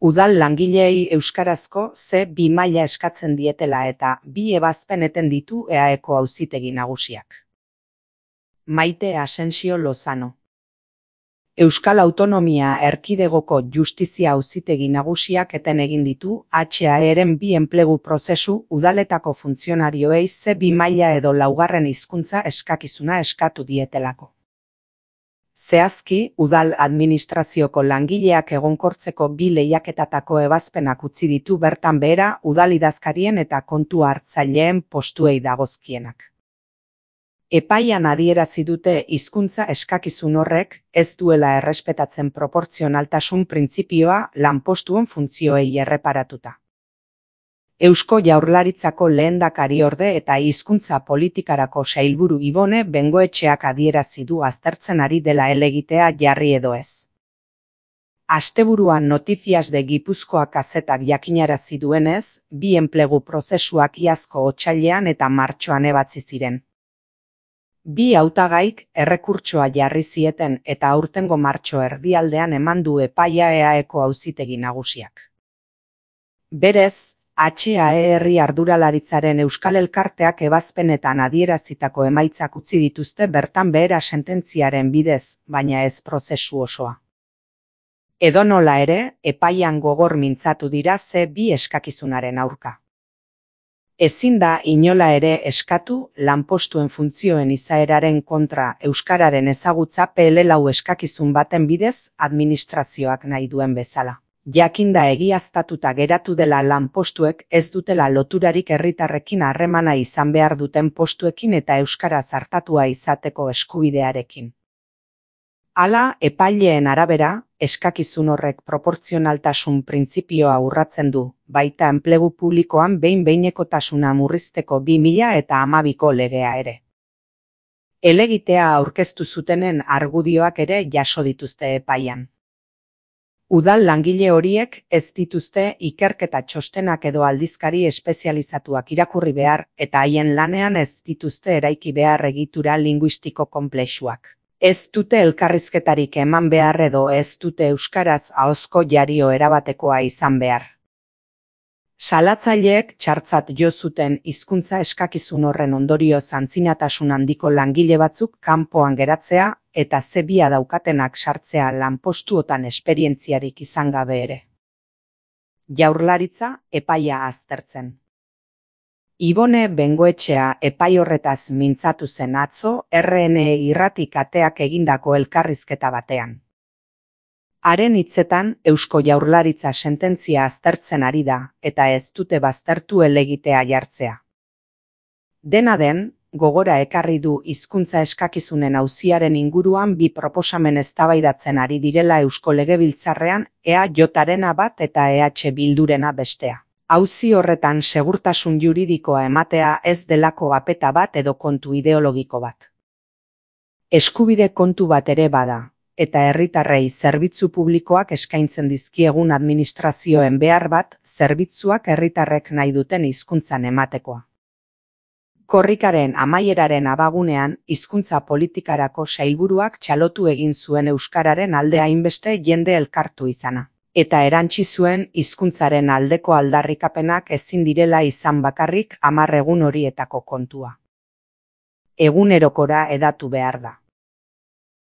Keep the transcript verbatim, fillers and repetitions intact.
Udal langileei euskarazko ce bi maila eskatzen dietela eta bi ebazpen eten ditu eaeko auzitegi nagusiak. Maite Asensio Lozano. Euskal Autonomia Erkidegoko Justizia Auzitegi Nagusiak eten egin ditu H A E-ren bi enplegu prozesu udaletako funtzionarioei ce bi maila edo laugarren hizkuntza eskakizuna eskatu dietelako. Zehazki, udal administrazioko langileak egonkortzeko bi lehiaketatako ebazpenak utzi ditu bertan behera udal idazkarien eta kontu hartzaileen postuei dagozkienak. Epaian adierazi dute hizkuntza eskakizun horrek ez duela errespetatzen proportzionaltasun printzipioa lanpostuen funtzioei erreparatuta. Eusko Jaurlaritzako lehendakariorde eta hizkuntza politikarako sailburu Ibone Bengoetxeak adierazi du aztertzen ari dela helegitea jarri edo ez. Asteburuan Noticias de Gipuzkoa kazetak jakinarazi duenez, bi enplegu prozesuak iazko otsailean eta martxoan ebatzi ziren. Bi hautagaik errekurtsoa jarri zieten eta aurtengo martxo erdialdean eman du epaia eaeko auzitegi nagusiak. Berez, H A E herri arduralaritzaren Euskal Elkarteak ebazpenetan adierazitako emaitzak utzi dituzte bertan behera sententziaren bidez, baina ez prozesu osoa. Edonola ere, epaian gogor mintzatu dira ce bi eskakizunaren aurka. Ezin da inola ere eskatu lanpostuen funtzioen izaeraren kontra euskararen ezagutza pe ele lau eskakizun baten bidez administrazioak nahi duen bezala. Jakinda egiaztatuta geratu dela lanpostuek ez dutela loturarik herritarrekin harremana izan behar duten postuekin eta euskaraz artatua izateko eskubidearekin. Hala, epaileen arabera, eskakizun horrek proportzionaltasun printzipioa urratzen du, baita enplegu publikoan behin-behinekotasuna murrizteko bi mila eta hamabiko legea ere. Helegitea aurkeztu zutenen argudioak ere jaso dituzte epaian. Udal langile horiek ez dituzte ikerketa txostenak edo aldizkari espezializatuak irakurri behar eta haien lanean ez dituzte eraiki behar egitura linguistiko konplexuak. Ez dute elkarrizketarik eman behar edo ez dute euskaraz ahozko jario erabatekoa izan behar. Salatzaileek txartzat jo zuten hizkuntza eskakizun horren ondorio antzinatasun handiko langile batzuk kanpoan geratzea eta ce bia daukatenak sartzea lanpostuotan esperientziarik izan gabe ere. Jaurlaritza epaia aztertzen. Ibone Bengoetxea epai horretaz mintzatu zen atzo erre ene e irrati kateak egindako elkarrizketa batean. Haren hitzetan, Eusko Jaurlaritza sententzia aztertzen ari da eta ez dute baztertu helegitea jartzea. Dena den, gogora ekarri du hizkuntza eskakizunen auziaren inguruan bi proposamen eztabaidatzen ari direla Eusko Legebiltzarrean E A J-arena bat eta E H Bildurena bestea. Auzi horretan segurtasun juridikoa ematea ez delako apeta bat edo kontu ideologiko bat. Eskubide kontu bat ere bada, eta herritarrei zerbitzu publikoak eskaintzen dizkiegun administrazioen behar bat zerbitzuak herritarrek nahi duten hizkuntzan ematekoa. Korrikaren amaieraren abagunean, hizkuntza politikarako sailburuak txalotu egin zuen euskararen alde hainbeste jende elkartu izana. Eta erantsi zuen hizkuntzaren aldeko aldarrikapenak ezin direla izan bakarrik hamar egun horietako kontua. Egunerokora hedatu behar da.